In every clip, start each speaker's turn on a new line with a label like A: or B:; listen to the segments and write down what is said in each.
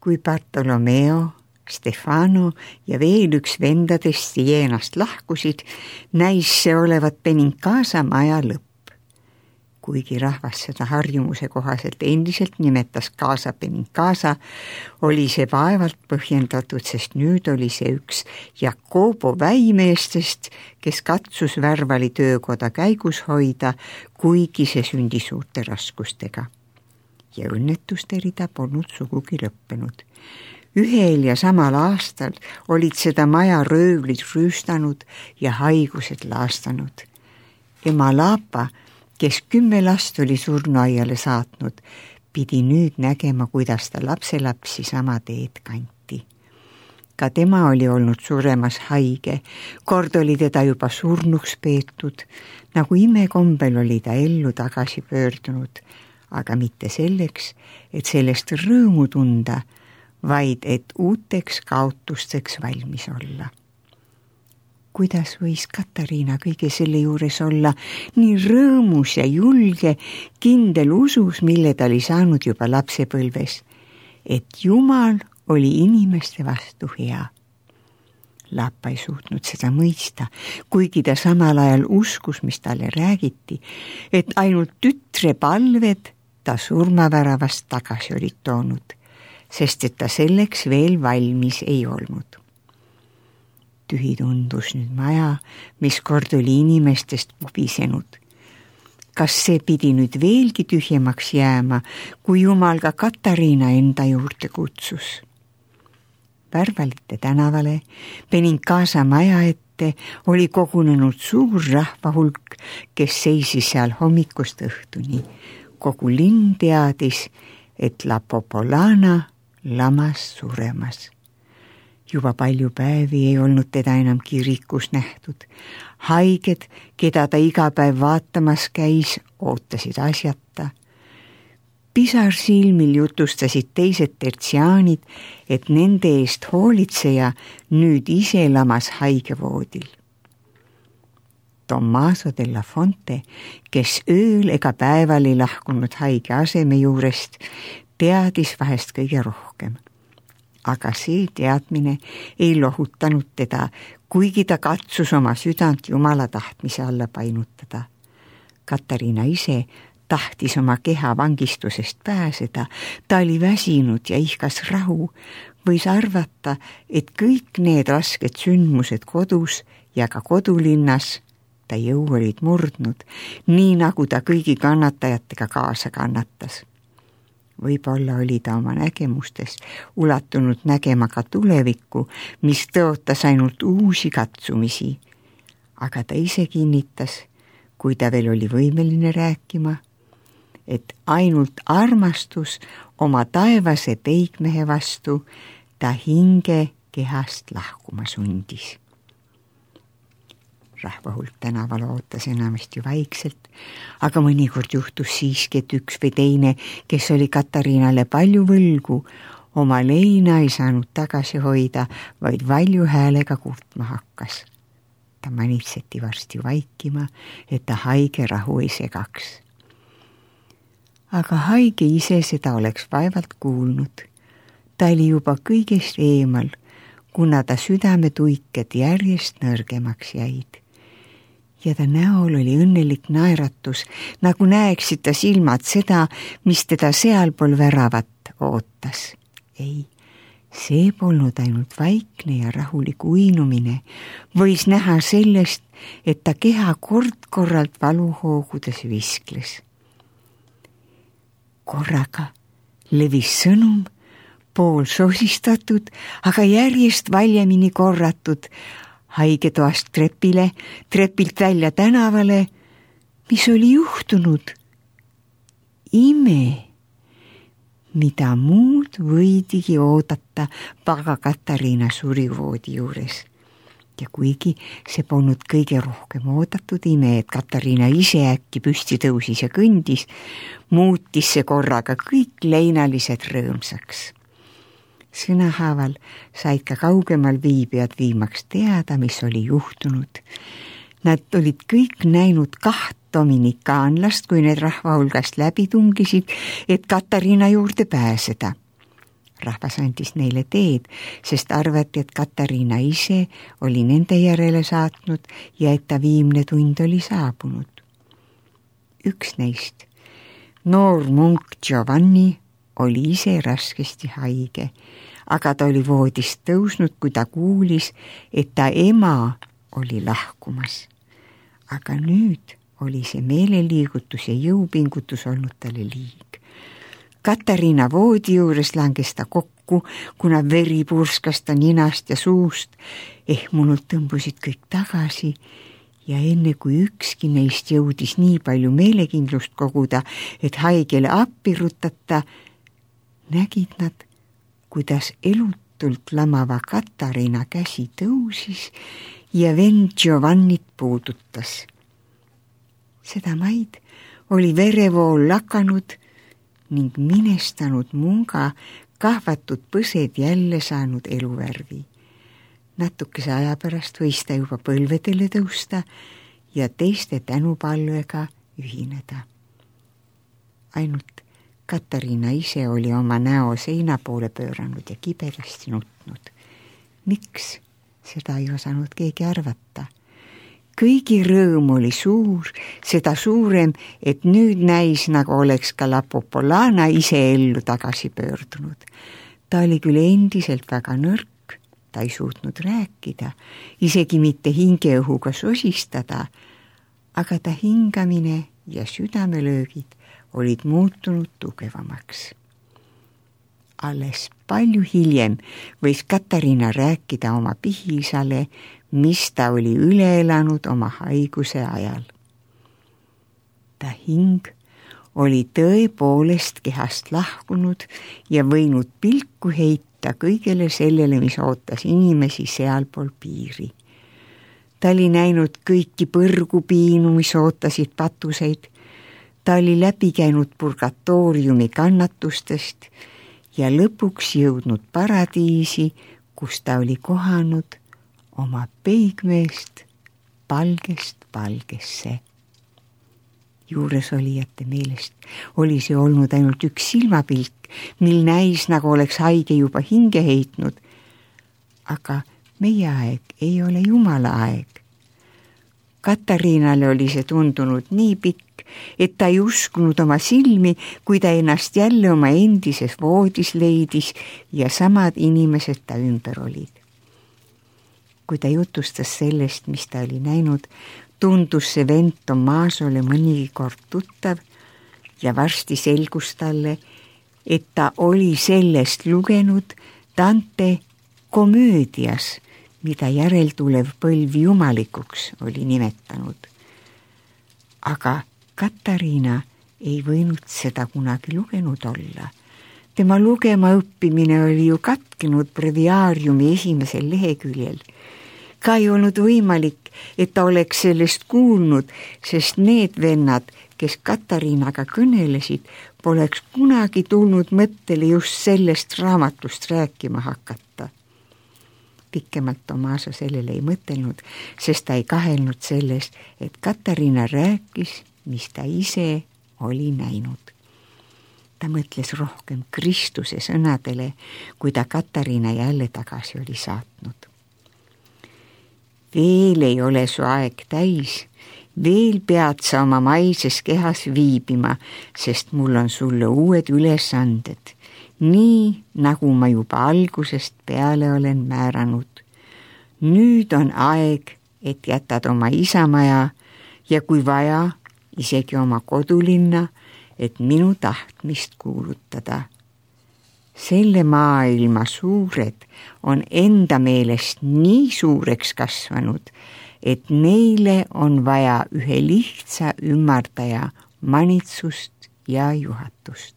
A: kui Bartolomeo, Stefano ja veel üks vendadest Sienast lahkusid, näis see olevat Benincasa maja lõpp. Kuigi rahvas seda harjumuse kohaselt endiselt nimetas Casa Benincasa, oli see vaevalt põhjendatud, sest nüüd oli see üks Jacobo väimeestest, kes katsus Värvali töökoda käigus hoida, kuigi see sündis suurte raskustega. Ja õnnetuste rida polnud sugugi lõppenud. Ühel ja samal aastal olid seda maja röövlid rüüstanud ja haigused laastanud. Ema Lapa, kes 10 last oli surnuaiale saatnud, pidi nüüd nägema, kuidas ta lapselapsi sama teed kanti. Ka tema oli olnud suremas haige, kord oli teda juba surnuks peetud, nagu imekombel oli ta ellu tagasi pöördunud, aga mitte selleks, et sellest rõõmu tunda, vaid et uuteks kaotusteks valmis olla. Kuidas võis Katariina kõige selle juures olla nii rõõmus ja julge, kindel usus, mille ta oli saanud juba lapsepõlves, et Jumal oli inimeste vastu hea. Lapa ei suutnud seda mõista, kuigi ta samal ajal uskus, mis talle räägiti, et ainult tütre palved ta surmaväravast tagasi olid toonud, sest et ta selleks veel valmis ei olnud. Tühi tundus nüüd maja, mis kord oli inimestest pubisenud. Kas see pidi nüüd veelgi tühjemaks jääma, kui Jumal ka Katariina enda juurde kutsus? Värvalite tänavale, Benincasa maja ette oli kogunenud suur rahvahulk, kes seisis seal hommikust õhtuni. Kogu linn teadis, et La Popolana lamas suremas. Juba palju päevi ei olnud teda enam kirikus nähtud. Haiged, keda ta iga päev vaatamas käis, ootasid asjata. Pisar silmil jutustasid teised tertsiaanid, et nende eest hoolitseja nüüd ise lamas haigevoodil. Tommaso della Fonte, kes ööl ega päeval ei lahkunud haige aseme juurest, teadis vahest kõige rohkem. Aga see teadmine ei lohutanud teda, kuigi ta katsus oma südant Jumala tahtmise alla painutada. Katariina ise tahtis oma keha vangistusest pääseda, ta oli väsinud ja ihkas rahu, võis arvata, et kõik need rasked sündmused kodus ja ka kodulinnas ta jõu olid murdnud, nii nagu ta kõigi kannatajatega kaasa kannatas. Võib-olla oli ta oma nägemustes ulatunud nägema ka tulevikku, mis tõotas ainult uusi katsumisi. Aga ta ise kinnitas, kui ta veel oli võimeline rääkima, et ainult armastus oma taevase peigmehe vastu ta hinge kehast lahkuma sundis. Rahvahulk tänaval ootas enamasti vaikselt, aga mõnikord juhtus siiski, et üks või teine, kes oli Katariinale palju võlgu, oma leina ei saanud tagasi hoida, vaid valju häälega kurtma hakkas. Ta manitseti varsti vaikima, et ta haige rahu ei segaks. Aga haige ise seda oleks vaevalt kuulnud. Ta oli juba kõigest eemal, kuna ta südametuiked järjest nõrgemaks jäid. Ja ta näol oli õnnelik naeratus, nagu näeksid ta silmad seda, mis teda sealpool väravat ootas. Ei, see polnud ainult vaikne ja rahulik uinumine, võis näha sellest, et ta keha kord-korralt valuhoogudes viskles. Korraga levis sõnum, pool sosistatud, aga järjest valjemini korratud, haigetoast trepile, trepilt välja tänavale, mis oli juhtunud. Ime, mida muud võidigi oodata paga Katariina surivoodi juures. Ja kuigi see polnud kõige rohkem oodatud ime, et Katariina ise äkki püsti tõusis ja kõndis, muutis see korraga kõik leinalised rõõmsaks. Sõnahaaval said ka kaugemal viibijad viimaks teada, mis oli juhtunud. Nad olid kõik näinud 2 dominikaanlast, kui need rahva hulgast läbi tungisid, et Katariina juurde pääseda. Rahvas andis neile teed, sest arvati, et Katariina ise oli nende järele saatnud ja et ta viimne tund oli saabunud. Üks neist, noor munk Giovanni, oli ise raskesti haige, aga ta oli voodist tõusnud, kui ta kuulis, et ta ema oli lahkumas. Aga nüüd oli see meeleliigutus ja jõupingutus olnud talle liig. Katariina voodi juures langes ta kokku, kuna veri purskas ta ninast ja suust. Ehmunult tõmbusid kõik tagasi ja enne kui ükski neist jõudis nii palju meelekindlust koguda, et haigele appi rutata, nägid nad, kuidas elutult lamava Katariina käsi tõusis ja vend Giovannit puudutas. Seda maid oli verevool lakanud ning minestanud munga kahvatud põsed jälle saanud eluvärvi. Natukese aja pärast võis ta juba põlvedele tõusta ja teiste tänupalvega ühineda. Ainult Katariina ise oli oma näo seina poole pööranud ja kibedasti nutnud. Miks? Seda ei osanud keegi arvata. Kõigi rõõm oli suur, seda suurem, et nüüd näis, nagu oleks ka La Popolana ise ellu tagasi pöördunud. Ta oli küll endiselt väga nõrk, ta ei suutnud rääkida, isegi mitte hingeõhuga sosistada, aga ta hingamine ja südamelöögid olid muutunud tugevamaks. Alles palju hiljem võis Katariina rääkida oma pihiisale, mis ta oli üle elanud oma haiguse ajal. Ta hing oli tõepoolest kehast lahkunud ja võinud pilku heita kõigele sellele, mis ootas inimesi sealpool piiri. Ta oli näinud kõiki põrgupiinu, mis ootasid patuseid. Ta oli läbi käinud purgatooriumi kannatustest ja lõpuks jõudnud paradiisi, kus ta oli kohanud oma peigmeest palgest palgesse. Juuresolijate meelest oli see olnud ainult üks silmapilk, mil näis, nagu oleks haige juba hinge heitnud. Aga meie aeg ei ole Jumala aeg. Katariinale oli see tundunud nii pikk, et ta ei uskunud oma silmi, kui ta ennast jälle oma endises voodis leidis ja samad inimesed ta ümber olid. Kui ta jutustas sellest, mis ta oli näinud, tundus see vend Tommasole mõnigi kord tuttav ja varsti selgus talle, et ta oli sellest lugenud Dante komöödias, mida järeltulev põlv jumalikuks oli nimetanud. Aga Katariina ei võinud seda kunagi lugenud olla. Tema lugema õppimine oli ju katkenud breviaariumi esimesel leheküljel. Ka ei olnud võimalik, et ta oleks sellest kuulnud, sest need vennad, kes Katariinaga kõnelesid, poleks kunagi tulnud mõttele just sellest raamatust rääkima hakata. Pikemalt Tommaso sellele ei mõtelnud, sest ta ei kahelnud selles, et Katariina rääkis, mis ta ise oli näinud. Ta mõtles rohkem Kristuse sõnadele, kui ta Katariina jälle tagasi oli saatnud. Veel ei ole su aeg täis, veel pead sa oma maises kehas viibima, sest mul on sulle uued ülesanded, nii nagu ma juba algusest peale olen määranud. Nüüd on aeg, et jätad oma isamaja ja kui vaja, isegi oma kodulinna, et minu tahtmist kuulutada. Selle maailma suured on enda meelest nii suureks kasvanud, et neile on vaja ühe lihtsa ümmardaja manitsust ja juhatust.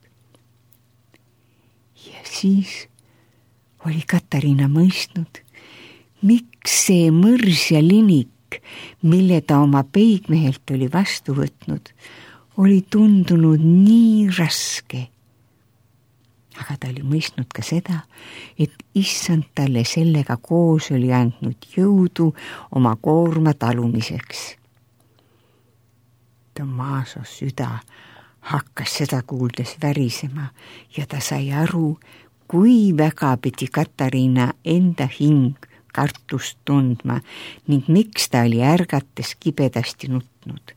A: Ja siis oli Katariina mõistnud, miks see mõrs ja linik, mille ta oma peigmehelt oli vastu võtnud, oli tundunud nii raske. Aga ta oli mõistnud ka seda, et issand talle sellega koos oli andnud jõudu oma koorma talumiseks. Tommaso süda hakkas seda kuuldes värisema ja ta sai aru, kui väga pidi Katariina enda hing kartust tundma ning miks ta oli ärgates kibedasti nutnud.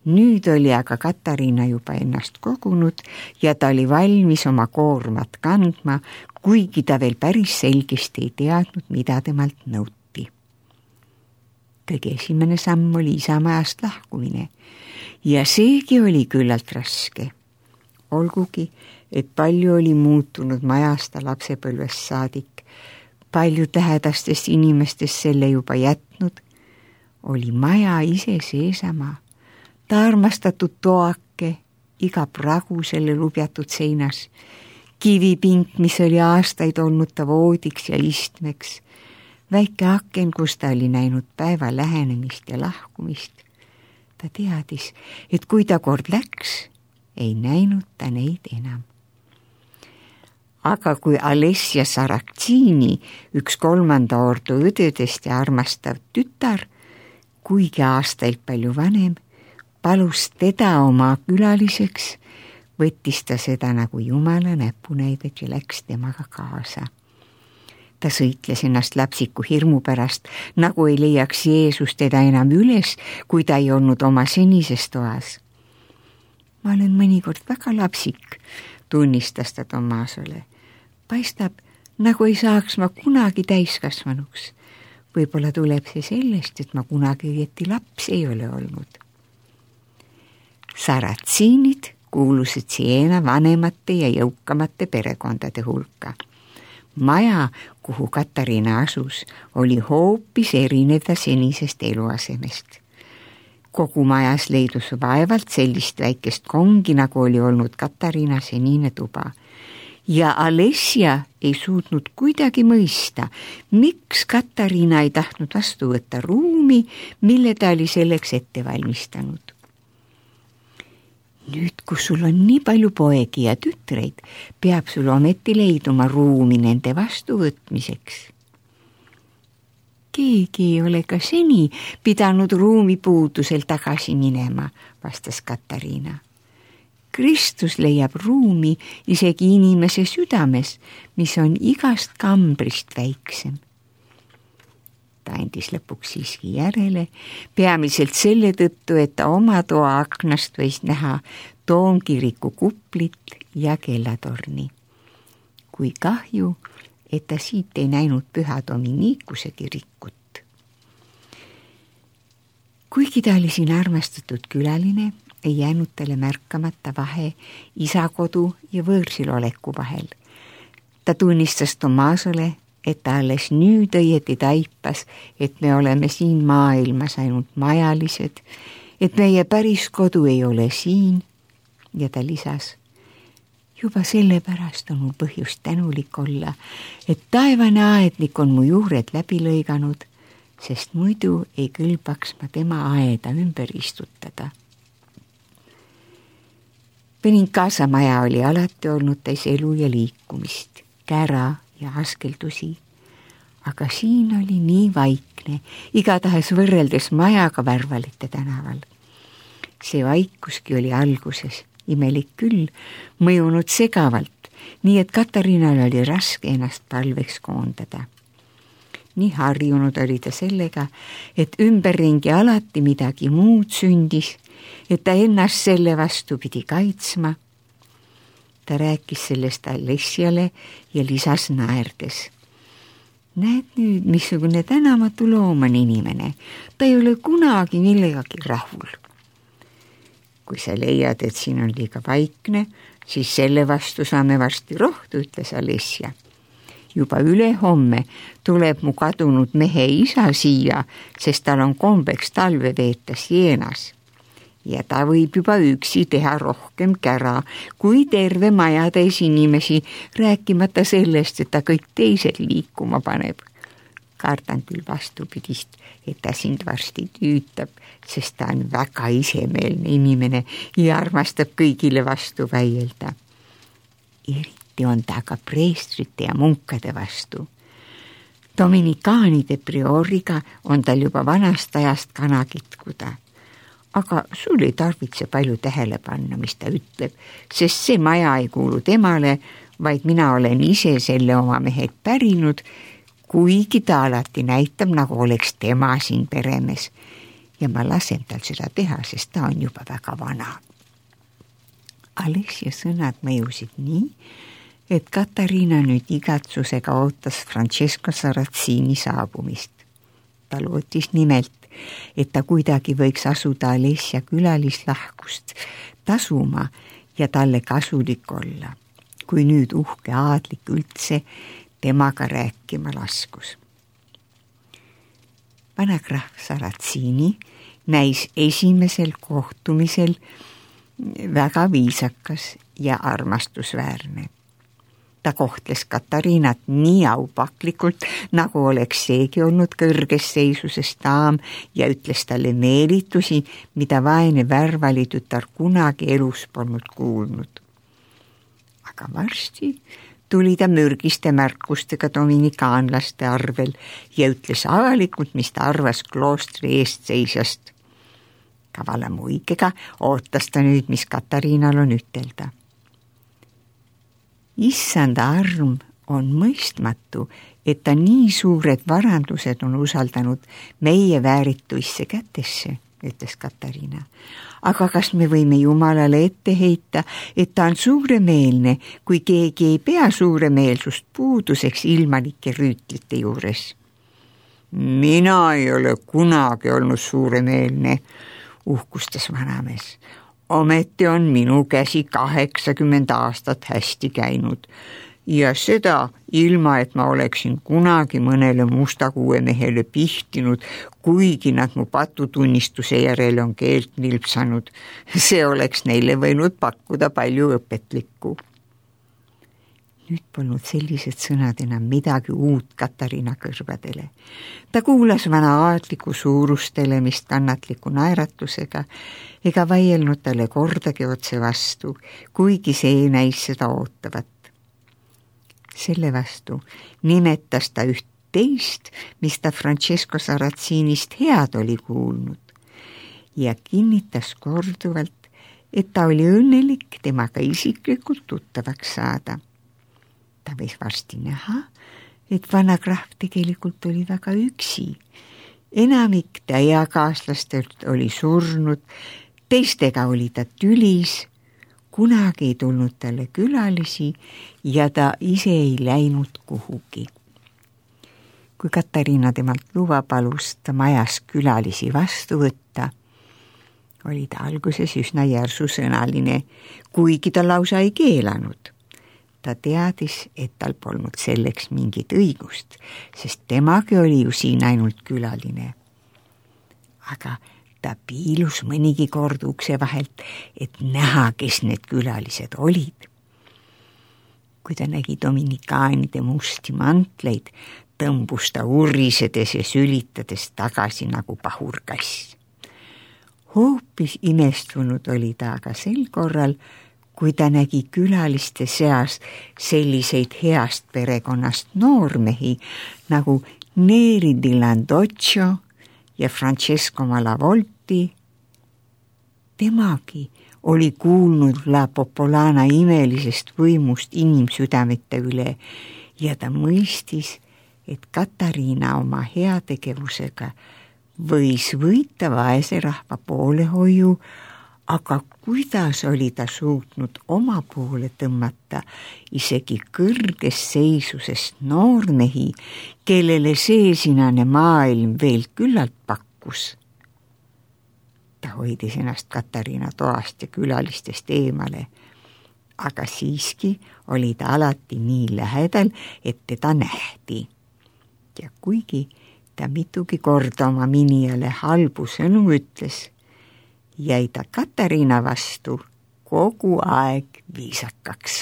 A: Nüüd oli aga Katariina juba ennast kogunud ja ta oli valmis oma koormat kandma, kuigi ta veel päris selgesti ei teadnud, mida temalt nõuti. Kõige esimene samm oli isamajast lahkumine ja seegi oli küllalt raske. Olgugi, et palju oli muutunud majast lapsepõlvest saadik, palju tähedastest inimestest selle juba jätnud, oli maja ise seesama. Ta armastatud toake, iga pragu selle lubjatud seinas, kivipink, mis oli aastaid olnud ta voodiks ja istmeks, väike aken, kus ta oli näinud päeva lähenemist ja lahkumist. Ta teadis, et kui ta kord läks, ei näinud ta neid enam. Aga kui Alessia Saracini, üks 3. ordu õdedest ja armastav tütar, kuigi aastaid palju vanem, palus teda oma külaliseks, võttis ta seda nagu Jumala näpunäidet ja läks temaga kaasa. Ta sõitles ennast lapsiku hirmu pärast, nagu ei leiaks Jeesus teda enam üles, kui ta ei olnud oma senises toas. Ma olen mõnikord väga lapsik, tunnistas ta Tomasole. Paistab, nagu ei saaks ma kunagi täiskasvanuks. Võib-olla tuleb see sellest, et ma kunagi õieti laps ei ole olnud. Saratsiinid kuulusid Siena vanemate ja jõukamate perekondade hulka. Maja, kuhu Katariina asus, oli hoopis erinev ta senisest eluasemest. Kogu majas leidus vaevalt sellist väikest kongi, nagu oli olnud Katariina senine tuba. Ja Alessia ei suutnud kuidagi mõista, miks Katariina ei tahtnud vastu võtta ruumi, mille ta oli selleks ette valmistanud. Nüüd, kus sul on nii palju poegi ja tütreid, peab sul ometi leiduma ruumi nende vastuvõtmiseks. Keegi ei ole ka seni pidanud ruumi puudusel tagasi minema, vastas Katariina. Kristus leiab ruumi isegi inimese südames, mis on igast kambrist väiksem. Ta andis lõpuks siiski järele, peamiselt selle tõttu, et ta oma toa aknast võis näha Toomkiriku kuplit ja kellatorni. Kui kahju, et ta siit ei näinud Püha Dominikuse kirikut. Kuigi ta oli siin armastatud külaline, ei jäänud talle märkamata vahe isakodu ja võõrsil oleku vahel. Ta tunnistas Tomasole, et ta alles nüüd õieti taipas, et me oleme siin maailmas ainult majalised, et meie päris kodu ei ole siin, ja ta lisas, juba sellepärast on mul põhjust tänulik olla, et taevane aednik on mu juured läbi lõiganud, sest muidu ei kõlbaks ma tema aeda ümber istutada. Benincasa maja oli alati olnud täis elu ja liikumist, kära ja askeldusi, aga siin oli nii vaikne, igatahes võrreldes majaga Värvalite tänaval. See vaikuski oli alguses, imelik küll, mõjunud segavalt, nii et Katariinal oli raske ennast palveks koondada. Nii harjunud oli ta sellega, et ümberringi alati midagi muud sündis, et ta ennast selle vastu pidi kaitsma. Ta rääkis sellest Alessiale ja lisas naerdes. Näed nüüd, missugune tänamatu loom on inimene. Ta ei ole kunagi millegagi rahul. Kui sa leiad, et siin on liiga vaikne, siis selle vastu saame varsti rohtu, ütles Alessia. Juba ülehomme tuleb mu kadunud mehe isa siia, sest tal on kombeks talve veeta Sienas. Ja ta võib juba üksi teha rohkem kära, kui terve majatäis inimesi, rääkimata sellest, et ta kõik teised liikuma paneb. Kardan küll vastupidist, et ta sind varsti tüütab, sest ta on väga isemeelne inimene ja armastab kõigile vastu väielda. Eriti on ta ka preestrite ja munkade vastu. Dominikaanide prioriga on tal juba vanast ajast kana kitkuda. Aga sul ei tarvitse palju tähele panna, mis ta ütleb, sest see maja ei kuulu temale, vaid mina olen ise selle oma mehelt pärinud, kuigi ta alati näitab, nagu oleks tema siin peremees. Ja ma lasen tal seda teha, sest ta on juba väga vana. Alessia sõnad mõjusid nii, et Katariina nüüd igatsusega ootas Francesco Sarrazini saabumist. Ta lootis nimelt, et ta kuidagi võiks asuda Alessia külalislahkust tasuma ja talle kasulik olla, kui nüüd uhke aadlik üldse temaga rääkima laskus. Vanakrahv Sarrazini näis esimesel kohtumisel väga viisakas ja armastusväärne. Ta kohtles Katariinat nii aupaklikult, nagu oleks seegi olnud kõrges seisuses daam ja ütles talle meelitusi, mida vaene värvalitütar kunagi elus polnud kuulnud. Aga varsti tuli ta mürgiste märkustega dominikaanlaste arvel ja ütles avalikult, mis ta arvas kloostri eestseisjast. Kavala muigega ootas ta nüüd, mis Katariinal on ütelda. Issanda arm on mõistmatu, et ta nii suured varandused on usaldanud meie väärituisse kätesse, ütles Katariina. Aga kas me võime Jumalale ette heita, et ta on suuremeelne, kui keegi ei pea suuremeelsust puuduseks ilmanike rüütlite juures? Mina ei ole kunagi olnud suuremeelne, uhkustas vanamees. Ometi on minu käsi 80 aastat hästi käinud ja seda ilma, et ma oleksin kunagi mõnele mustakuuemehele pihtinud, kuigi nad mu patutunnistuse järele on keelt nilpsanud. See oleks neile võinud pakkuda palju õpetlikku. Nüüd polnud sellised sõnad enam midagi uut Katariina kõrvadele. Ta kuulas vana aadliku suurustelemist kannatliku naeratusega ega vaielnud talle kordagi otse vastu, kuigi see näis seda ootavat. Selle vastu nimetas ta üht teist, mis ta Francesco Sarrazinist head oli kuulnud ja kinnitas korduvalt, et ta oli õnnelik temaga isiklikult tuttavaks saada. Ta võis varsti näha, et vanakrahv tegelikult oli väga üksi. Enamik ta eakaaslastelt oli surnud, teistega oli ta tülis, kunagi ei tulnud talle külalisi ja ta ise ei läinud kuhugi. Kui Katariina temalt luba palus ta majas külalisi vastu võtta, oli ta alguses üsna järsusõnaline, kuigi ta lausa ei keelanud. Ta teadis, et tal polnud selleks mingit õigust, sest temagi oli ju siin ainult külaline. Aga ta piilus mõnigi kord ukse vahelt, et näha, kes need külalised olid. Kui ta nägi dominikaanide musti mantleid, tõmbus ta urisedes ja sülitades tagasi nagu pahurkass. Hoopis imestunud oli ta aga sel korral, kui ta nägi külaliste seas selliseid heast perekonnast noormehi nagu Neri di Landoccio ja Francesco Malavolti. Temagi oli kuulnud La Popolana imelisest võimust inimsüdamete üle ja ta mõistis, et Katariina oma heategevusega võis võita vaese rahva poolehoiu, aga kuidas oli ta suutnud oma poole tõmmata isegi kõrges seisusest noormehi, kellele seesinane maailm veel küllalt pakkus. Ta hoidis ennast Katariina toast ja külalistest eemale, aga siiski oli ta alati nii lähedal, et teda nähti. Ja kuigi ta mitugi korda oma minijale halbu sõnu ütles, jäi ta Katariina vastu kogu aeg viisakaks.